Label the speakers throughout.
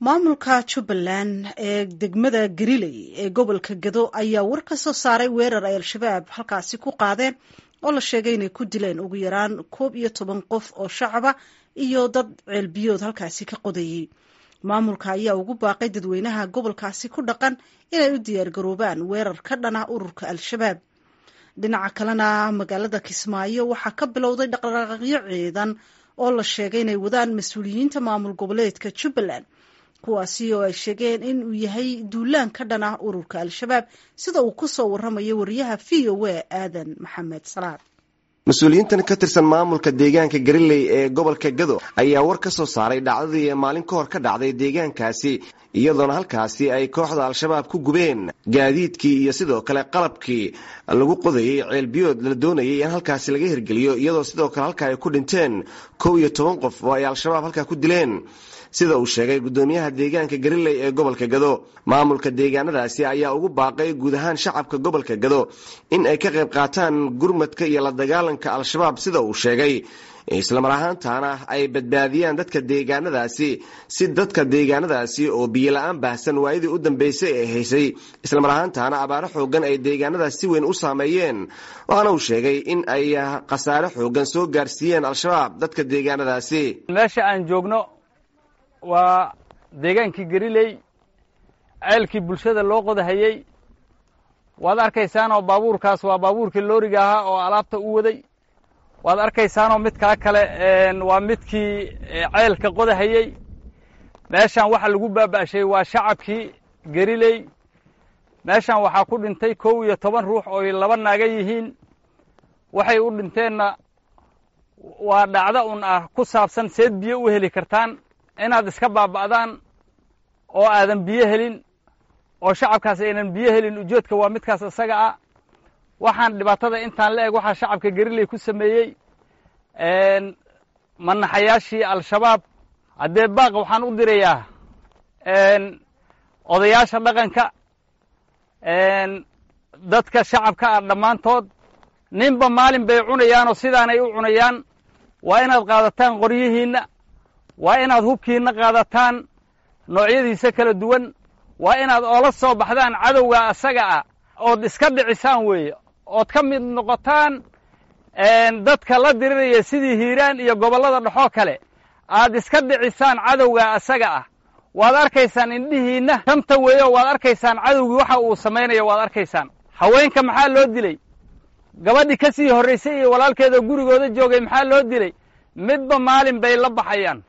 Speaker 1: Maamulka Jubbaland ee degmada Gariley ee gobolka Gado ayaa war ka soo saaray weerar ay Al-Shabaab halkaasi ku qaadeen oo la sheegay inay ku dileen ugu yaraan 11 qof oo shacaba iyo dad ceelbiyood halkaasi ka qodayey. Maamulka ayaa ugu baaqay dadweynaha gobolkaasi ku dhaqan inay u diyaargaroobaan weerar ka dhana ururka Al-Shabaab. Dhinaca kalena, magaalada Kismaayo waxaa ka bilowday dhaqdhaqaaqyo ciidan oo la sheegay inay wadaan mas-uuliyiinta maamul goboleedka Jubbaland, kuwaasi oo ay sheegeen in uu yahay duulaan ka dhan ah ururka Al-Shabaab, sida uu ku soo waramayo wariyaha VOA, Aadan Maxamed Salaad.
Speaker 2: Mas-uuliyiintan ka tirsan maamulka deegaanka Gariley ee gobolka Gado ayaa war ka soo saaray dhacdadii maalin ka hor ka dhacday deegaankaasi, iyadoona halkaasi ay kooxda Al-Shabaab ku gubeen gaadiidkii iyo sidoo kale qalabkii lagu qodayey ceelbiyood la doonayay in halkaasi laga hirgeliyo, iyadoo sidoo kale halka ay ku dhinteen 11 qof oo ay Al-Shabaab halkaa ku dileen, sida uu sheegay gudoomiyaha deegaanka Gariley ee gobolka Gado. Maamulka deegaanadaasi ayaa ugu baaqay guud ahaan shacabka gobolka Gado in ay ka qayb qaataan gurmadka iyo la dagaalanka Al-Shabaab, sida uu sheegay, islamar ahaantaana ay badbaadiyaan dadka deegaanadaasi, si dadka deegaanadaasi oo biyo la-aan baahsan waayadii u dambeysay ee haysay, islamar ahaantaana abaaro xoogan ay deegaanadaas si weyn u saameeyeen. Waxaana uu sheegay in ay khasaare xoogan soo gaarsiiyeen Al-Shabaab dadka deegaanadaasi.
Speaker 3: Meesha aan joogno waa deegaankii Gariley, ceelkii bulshada loo qodahayey. Waad arkaysaanoo baabuurkaas waa baabuurkii looriga ahaa oo alaabta u waday. Waad arkaysaanoo midkaa kale waa midkii ceelka qodahayey. Meeshan waxa lagu baaba'shay waa shacabkii Gariley. Meeshan waxaa ku dhintay 11 ruux oo ay laba naaga yihiin. Waxay u dhinteenna waa dhacdo un ah ku saabsan seed biyo u heli kartaan, inaad iska baaba'daan oo aadan biyo helin oo shacabkaas aynan biyo helin. Ujeedka waa midkaas isaga ah. Waxaan dhibaatada intaan la eg waxaa shacabka Gariley ku sameeyey manaxayaashii Al-Shabaab. Haddee baaq waxaan u dirayaa odayaasha dhaqanka, dadka shacabka ah dhammaantood. Ninba maalin bay cunayaanoo sidaanay u cunayaan. Waa inaad qaadataan qoryihiinna, waa inaad hubkiinna qaadataan noocyadiisa kala duwan, waa inaad oola soo baxdaan cadowga asaga ah ood iska dhicisaan weeye, ood ka mid noqotaan dadka la diriraya sidii Hiiraan iyo gobollada dhexoo kale, aad iska dhicisaan cadowga asaga ah. Waad arkaysaan indhihiinna shanta weeyo, waad arkaysaan cadowgii waxa uu samaynayo, waad arkaysaan. Haweenka maxaa loo dilay? Gabadhii ka sii horraysay iyo walaalkeeda gurigooda joogay maxaa loo dilay? Midba maalin bay la baxayaan.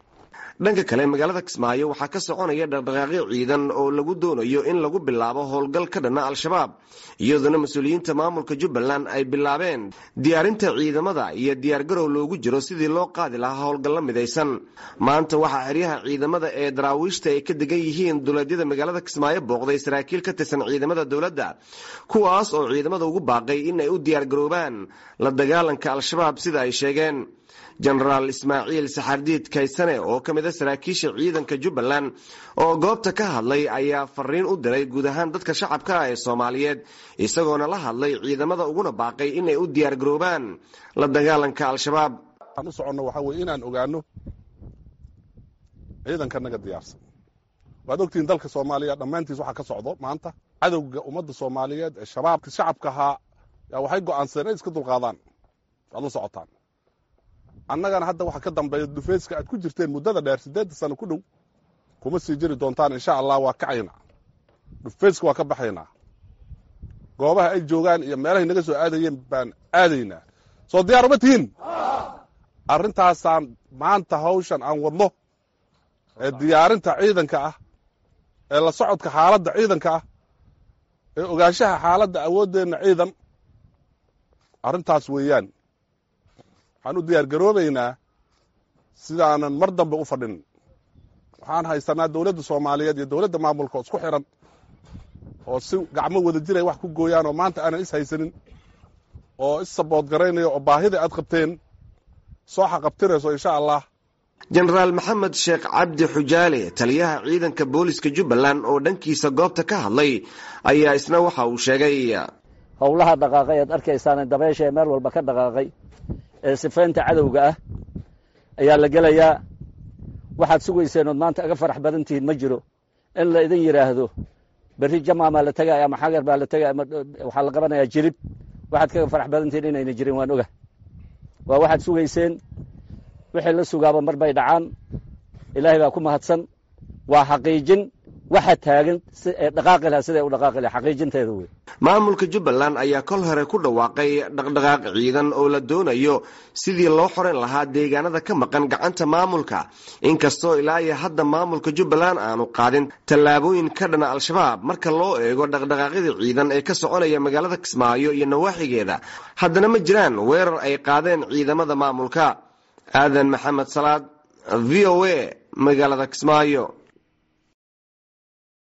Speaker 2: Dhanka kale, magaalada Kismaayo waxaa ka soconaya dhaqdhaqaaqyo ciidan oo lagu doonayo in lagu bilaabo howlgal ka dhana Al-Shabaab, iyadoona mas-uuliyiinta maamulka Jubbaland ay bilaabeen diyaarinta ciidamada iyo diyaargarow loogu jiro sidii loo qaadi lahaa howlgallo midaysan. Maanta waxaa xeryaha ciidamada ee Daraawiishta ay ka degan yihiin duleedyada magaalada Kismaayo booqday saraakiil ka tirsan ciidamada dowladda, kuwaas oo ciidamada ugu baaqay in ay u diyaargaroobaan la dagaalanka Al-Shabaab, sida ay sheegeen. Jenaraal Ismaaciil Saxardiid Kaysane oo ka mid a saraakiisha ciidanka Jubbaland oo goobta ka hadlay ayaa fariin u diray guud ahaan dadka shacabka ah ee Soomaaliyeed, isagoona la hadlay ciidamada uguna baaqay inay u diyaargaroobaan la dagaalanka Al-Shabaab.
Speaker 4: Waxaan u soconno waxaa weye inaan ogaano ciidanka naga diyaarsan. Waad ogtihiin dalka Soomaaliya dhammaantiis waxaa ka socdo maanta cadowga ummadda Soomaaliyeed ee Shabaabka. Shacabka ahaa yaa waxay go'aansadeen inay iska dulqaadaan. Waad la socotaan, annagana hadda waxa ka dambeeya dhufeyska aad ku jirteen muddada dheer, 8-da sano ku dhow, kuma sii jiri doontaan, insha Allah. Waa kacaynaa dhufeyska, waa ka baxaynaa goobaha ay joogaan iyo meelahay naga soo aadayeen baan aadaynaa. Soo diyaar uma tihiin arrintaasaan maanta hawshan aan wadno ee diyaarinta ciidanka ah, ee la socodka xaaladda ciidanka ah, ee ogaanshaha xaaladda awooddeenna ciidan? Arrintaas weeyaan. Waxaan u diyaar garoobaynaa sidaanan mar dambe u fadhin. Waxaan haysanaa dowladda Soomaaliyeed iyo dowladda maamulka oo isku xiran oo si gacmo wada jiray wax ku gooyaan, oo maanta aanan is haysanin oo is support garaynaya oo baahida aad qabteen soo xaqabtirayso, insha Allah.
Speaker 2: Jenaraal Maxamed Sheekh Cabdi Xujaale, taliyaha ciidanka booliska Jubbaland oo dhankiisa goobta ka hadlay, ayaa isna waxa uu sheegay:
Speaker 5: Howlaha dhaqaaqay aad arkaysaan, dabeysha ee meel walba ka dhaqaaqay ee sifaynta cadowga ah ayaa la gelayaa. Waxaad sugayseen ood maanta aga farax badan tihiin ma jiro. In la idin yidhaahdo berri jamaamaa la tegaya ama xagar baa la tegaya ama waxaa la qabanayaa jilib, waxaad kaga farax badan tihiin inayna jirin waan oga. Waa waxaad sugayseen, wixii la sugaaba mar bay dhacaan. Ilaahay baa ku mahadsan. Waa xaqiijin waxa taagan si ee dhaqaaqi laha, siday u dhaqaaqi laha xaqiijinteeda wey.
Speaker 2: Maamulka Jubbaland ayaa kol hore ku dhawaaqay dhaqdhaqaaq ciidan oo la doonayo sidii loo xoran lahaa deegaanada ka maqan gacanta maamulka, inkastoo ilaa iyo hadda maamulka Jubbaland aanu qaadin tallaabooyin ka dhana Al-Shabaab. Marka loo eego dhaqdhaqaaqyada ciidan ee ka soconaya magaalada Kismaayo iyo nawaaxigeeda, haddana ma jiraan weerar ay qaadeen ciidamada maamulka. Aadan Maxamed Salaad, V O A, magaalada Kismaayo.